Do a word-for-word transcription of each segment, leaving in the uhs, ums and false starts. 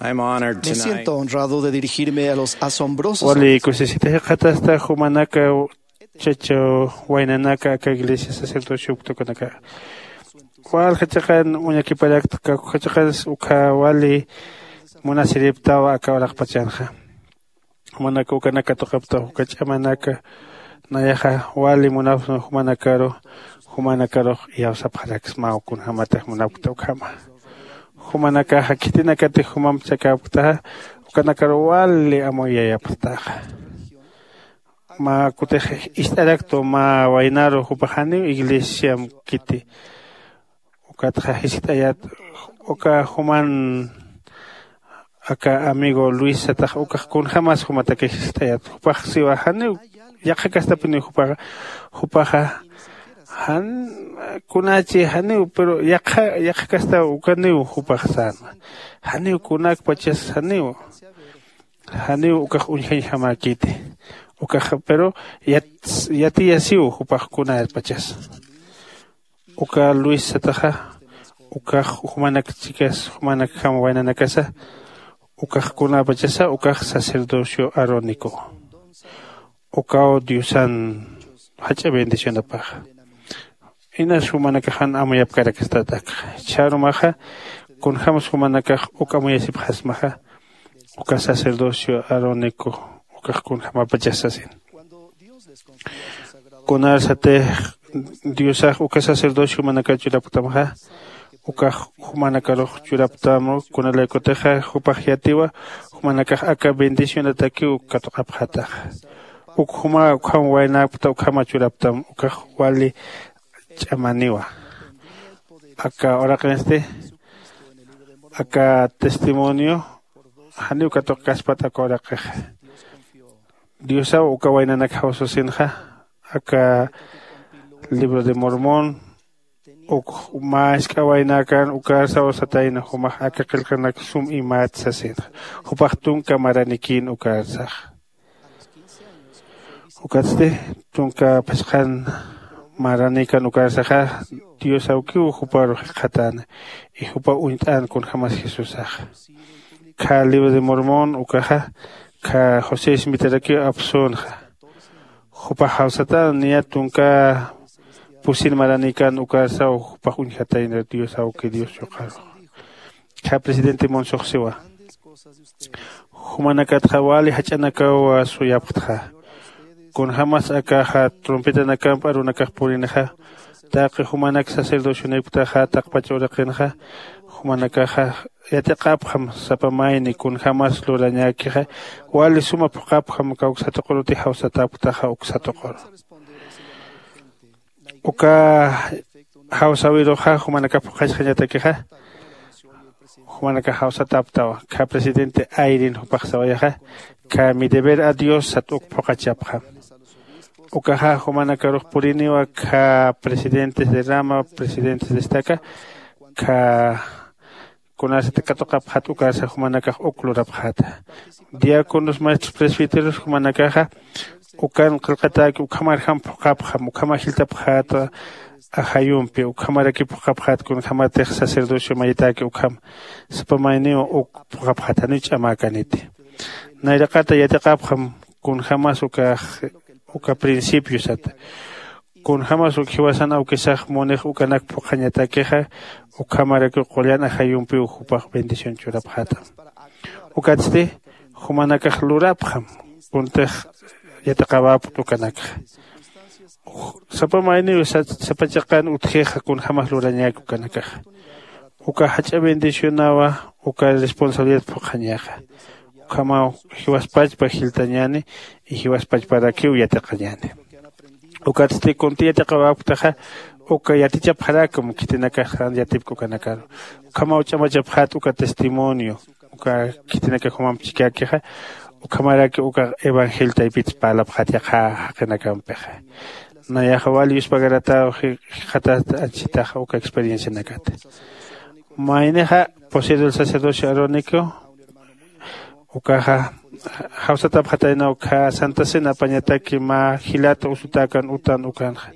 I'm honored Me tonight. Siento honrado de dirigirme a los asombrosos. Wali kusisita jikxatasta jumanaka chachaw waynanaka aka iglesia sacerdocio uktukanaka. Walja chiqan uñakiparakta kakuja chiqans ukha wali munasiriptawa aka uraqpachanxa. Jumanaka ukanaka tuqapta uka ch'amanaka nayaxa wali munapxsma jumanakaru. Jumanakarux iyawsapxaraksmaw kunjämatix munapkta ukhama. Jumanakaxa khitinakatix jumamp chakäpktaxa ukanakaru wali amuyayapxtaxa. Mä kutix ist'araktu mä waynaru jupax janiw iglesiam kiti. Ukatxa jiskt'ayät uka juman aka amigo luis satax ukax kunjämas jumatakix jiskt'ayät jupax siwa janiw yaqha kastapiniw jupaxa. Jupaxa jan kunachi janiw pero yaqha yaqha kastaw ukaniw jupax sänwa. Janiw kunakpachas janiw janiw ukax uñjañjamäkiti. Ukax pero yatiyasiw jupax kunapachas. Uka luis sataxa ukax jumanak chikas jumanakjam waynanakasa ukax kunapachasa ukax sacerdocio arónico. Ukaw diosan jach'a bendicionapaxa. Inas jumanakaxan amuyapkarakastat akxa chharumaxa kunjämsa jumanakax uk amuyasipxasmaxa. Uka sacerdocio arónico ukax kunjämapachas sasin. Kunarsatix diosax uka sacerdocio jumanakar churapktamxa ukax jumanakarux churaptam kunalaykutixa jupax yatiwa jumanakax aka bendicionatakiw katuqapxataxa. Uk juma ukham waynäkpta ukhama churaptam ukax wali ch'amaniwa. Aka uraqinsti aka testimonio janiw katuqkaspat aka uraqixa. Diosaw uka waynanak jawsasinxa aka libro de mormón uk mä isk'a waynäkan ukarsaw satayna jumax aka qillqanak sum imät sasinxa. Jupax tunka maranikïn ukarsax. Ukatsti tunka phisqhan maranikan ukarsaxa dios awkiw juparu jikxatäna. Y jupaw uñt'än kunjämas jesusaxa. Khä libro de mormón ukaxa khä josé ismitarakiw apsünxa. Jupax jawsatän niya tunka pusin maranikan ukarsaw jupax uñjatayna dios awki dios yuqarux. Khä presidente monsoxsiwa. Jumanakatxa wali jach'anakaw suyapxtxa. Kunjämas akaxa trompetanakamp arunakax purinixa taqi jumanak sacerdocionipktaxa taqpach uraqinxa jumanakaxa yatiqapxam sapa mayni kunjämas lurañäkixa. Wali suma phuqhapxam kawksatuqurutix jawsatäpktaxa uksatuquru. Uka jawsäwiruxa jumanakax phuqhachxañatakixa jumanakax jawsatäptawa. Khä presidente ayrin jupax sawayaxa khä mi deber a dios sat uk phuqhachapxam. Ukaxa jumanakarux puriniwa khä presidentes de rama presidentes de estaca khä kunasati katuqapxat ukarsa jumanakax uk lurapxäta. Diáconos maestros presbíteros jumanakaxa ukan qillqatäki ukhamarjam phuqhapxam ukhamar jiltapxäta. Ajayumpi ukhamaraki phuqhapxät kunjämatix sacerdocio mayitäki ukham sapa mayniw uk phuqhapxät janiw ch'amäkaniti. Nayraqata yatiqapxam kunjämas ukax uka principiosata. Kunjämas uk jiwasan awkisax munix ukanak phuqhañatakixa ukhamarakiw qullan ajayumpiw jupax bendición churapxätam. Ukatsti jumanakax lurapxam kuntix yatiqawapkt ukanakxa. Sapa mayniw sapa chiqan utjixa kunjämas lurañäki ukanakaxa. Uka jach'a bendicionawa uka responsabilidad phuqhañaxa. Ukhamaw jiwaspachpa jiltañäni y jiwaspachparakiw yatiqañäni. Ukatsti kunti yatiqawapktaxa uka yatichapxarakam khitinakax jan yatipki ukanakaru. Ukhamaw ch'amachapxät uka testimonio uka khitinakax jumamp chikäkixa. Ukhamaraki uka evangelio taypits parlapxät yaqha jaqinakampixa. Nayaxa wal yuspagaratäw jikxatat anchitaxa uka experiencianakat. Maynixa poseo del sacerdocio arónico ukaxa jawsatapxatayna ukkha santa cena apañataki mä jilata usutäkan utan ukanxa.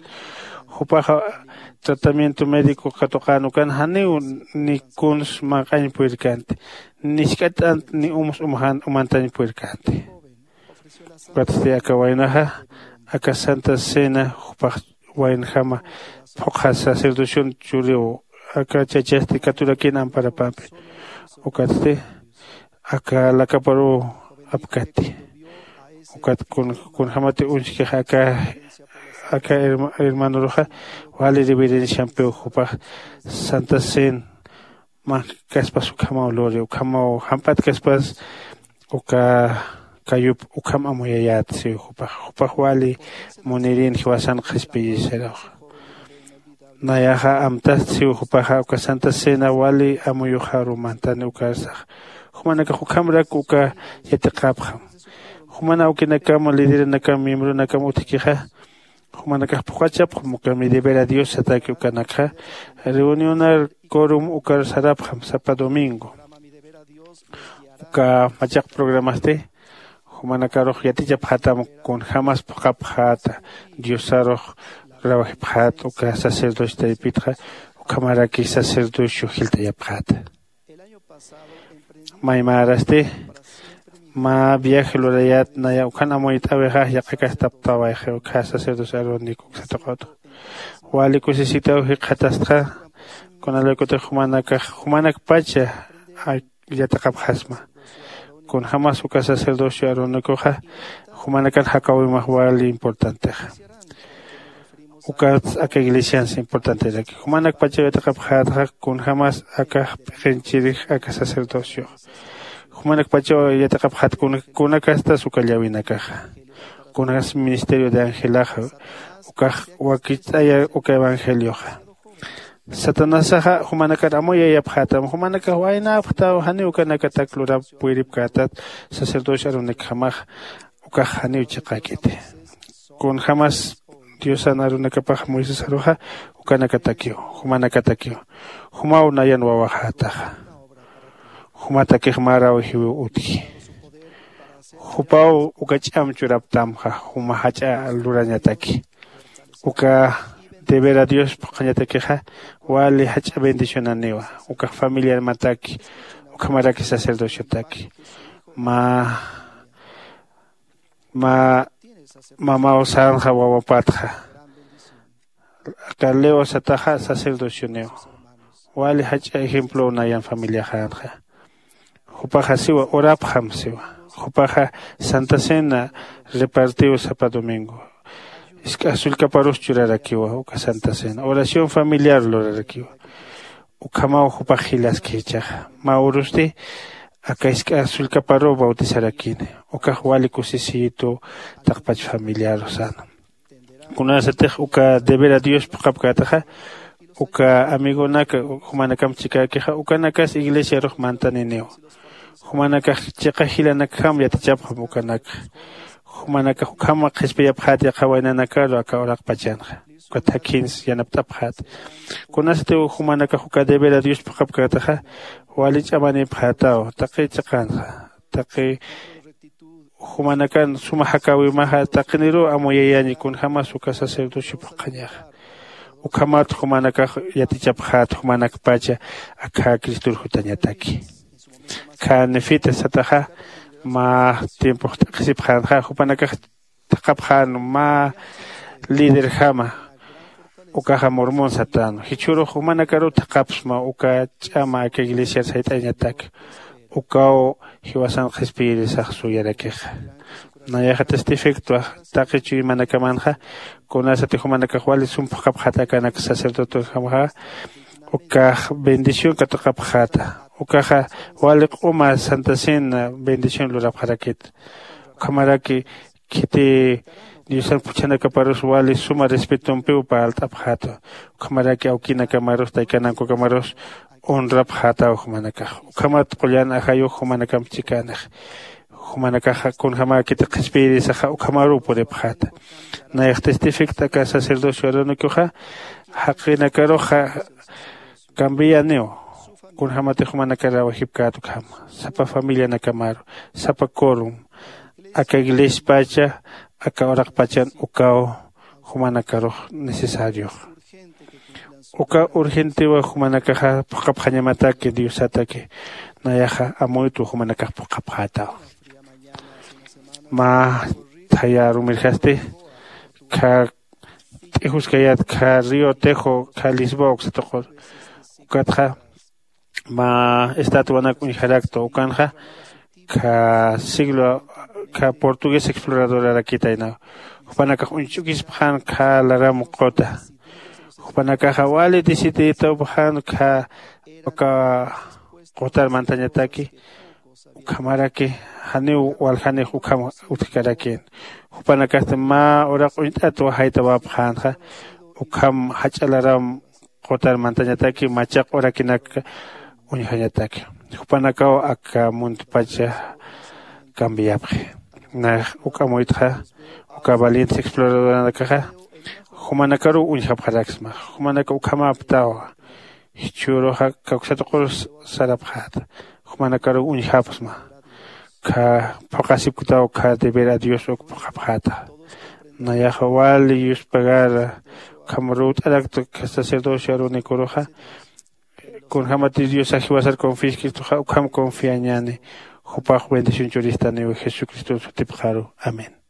Jupaxa tratamiento médico katuqän ukan janiw ni kuns manq'añ purirkänti, ni jisk'at'ant ni umus umajan umantañ purirkänti. Ukatsti aka waynaxa aka santa cena jupax waynjama phuqha sacerdocion churiw aka chachasti katurakïn amparapampi. Ukatsti aka lakaparuw apkati. Ukat kun kunjämati uñjkix aka aka herma- hermanoruxa wali reverenciampiw jupax santa cena manjkaspas ukhamaw luri ukhamaw jamp'atkaspas uka kayup ukham amuyayät siw jupax jupax wali munirin jiwasan qhispiyisiraw. Nayaxa amtast siw jupaxa uka santa cena wali amuyuxaru mantani ukarsax jumanakax ukhamrak uka yatiqapxam. Juman awkinakam lideranakam miembronakam utjkixa jumanakax phuqachapxam uka mi deber a dios sataki ukanakxa reunionar corum ukar sarapxam sapa domingo. Uka machaq programasti jumanakarux yatichapxätam kunjämas phuqhapxäta diosarux rawjipxät uka sacerdocio taypitxa ukhamaraki sacerdocio jilt'ayapxäta. Maymarasti mä viaje lurayät naya ukhan amuyt'äwixa yaqhakastaptawayxi ukha sacerdocio arónico uksatuq'utxa wali kusisitaw jikxatastxa. Kunalaykutix jumanakax jumanakpacha yatiqapxasma. Kunjämas uka sacerdocio arónicoxa jumanakan jakäwimax wali importantexa. Ukats aka iglesians importanteraki jumanakpachaw yatiqapxätxa kunjämas akax p'iqinchirix aka sacerdociox jumanakpachaw yatiqapxät kunakastas uka llawinakaxa kunakas ministerio de angelaxa ukax wakicht'aya uka evangelioxa. Satanasaxa jumanakar amuyayapxätam jumanakax waynäpxtaw janiw ukanakatak lurap puyripkätat sacerdocio arunikjamax ukax janiw chiqäkiti. Kunjämas diosan arunakapax moisesaruxa ukanakatakiw jumanakatakiw jumaw nayan wawaxätaxa. Jumatakix mä rawjiwiw utji. Jupaw uka ch'am churaptamxa juma jach'a lurañataki. Uka deber a dios phuqhañatakixa wali jach'a bendicionaniwa. Ukax familiarmataki ukhamaraki sacerdociotaki mä mä mamaw sänxa wawapatxa. Aka leo sataxa sacerdocioniw wali jach'a ejemplow nayan familiaxänxa. Jupaxa siwa urapxam siwa. Jupaxa santa cena repartiw sapa domingo. Isk'a sullkaparus churarakiwa uka santa cena oración familiar lurarakiwa. Ukhamaw jupax jilaski jichaxa mä urusti aka isk'a sullkaparuw bautizarakini. Ukax wali kusisiyitu taqpach familiaru sana. Kunasatix uka deber a dios phuqhapkätaxa uka amigonak jumanakamp chikäkixa ukanakas iglesiarux mantaniniw. Jumanakax chiqa jilanakjam yatichapxam ukanakxa. Jumanakax ukham qhispiyapxät yaqha waynanakaru aka uraqpachanxa. Ukat jakhins yanapt'apxät. Kunasatiw jumanakax uka deber a dios phuqhapkätaxa wali ch'amanipxätaw taqi chiqanxa taqi jumanakan suma jakäwimaxa taqiniruw amuyayañi kunjämas uka sacerdocio phuqhañaxa. Ukhamat jumanakax yatichapxät jumanakpacha akha cristor jutañataki. Kha nefita sataxa mä tiempox t'aqhisipxänxa jupanakax thaqhapxän mä liderjama. Ukaxa mormón satän jichhürux jumanakaruw thaqhapsma uka ch'ama aka iglesiar sayt'añatak. Ukaw jiwasan qhispiyirisax suyarakixa. Nayaxa testifictwa taqi chuymanakamanxa kunasati jumanakax wali sum phuqhapxäta akanak sacerdotenjamaxa ukax bendición katuqapxäta. Ukaxa wali q'uma santa cena bendición lurapxarakit. Ukhamaraki khiti diosan phuchhanakaparus wali suma respetompiw parlt'apxäta. Ukhamaraki awkinakamarus taykanankukamarus honrapxätaw jumanakax. Ukhamat qullan ajayux jumanakamp chikänix jumanakaxa kunjämäkiti qhispiyirisaxa ukhamaruw puripxäta. Nayax testifict aka sacerdocio arónicoxa jaqinakaruxa cambianiw. Kunjämatix jumanakar rawajipkät ukhama sapa familianakamaru sapa corum aka iglespacha aka uraqpachan ukaw jumanakarux necesariox. Uka urgentiwa jumanakaxa phuqapxañamataki diosataki. Nayaxa amuytwa jumanakax phuqapxätawa. Mä thayä rumirjasti kha t'ijus kayät kha río tejo kha lisboa uksatuqur. Ukatxa mä estatuanak uñjaraktwa ukanxa kha siglo kha portugués exploradorarakitaynaw. Jupanakax uñch'ukispxän kha laram quta. Jupanakaxa wali deciditawpxän kha uka qutar mantañataki. Ukhamaraki janiw waljanix ukham utjkarakïn. Jupanakasti mä uraq uñt'at wajaytawapxänxa ukham jach'a laram qutar mantañataki machaq urakinak uñjañataki. Jupanakaw aka muntpacha cambiapxi. Nax uk amuytxa uka valientes exploradoranakaxa jumanakaruw uñjapxaraksma. Jumanaka ukhamäptawa. Jichhüruxa kawksatuqur sarapxäta. Jumanakaruw uñjapxsma. Kha phuqasipktaw kha deber a dios uk phuqapxäta. Nayaxa wali yuspagara ukham ruwt'arakta kha sacerdocio arunikuruxa. Kunjämatir diosax jiwasar confiskirtuxa ukham confiañäni. Jupax bendición churistaniw jesucristo sutipxaru. Amén.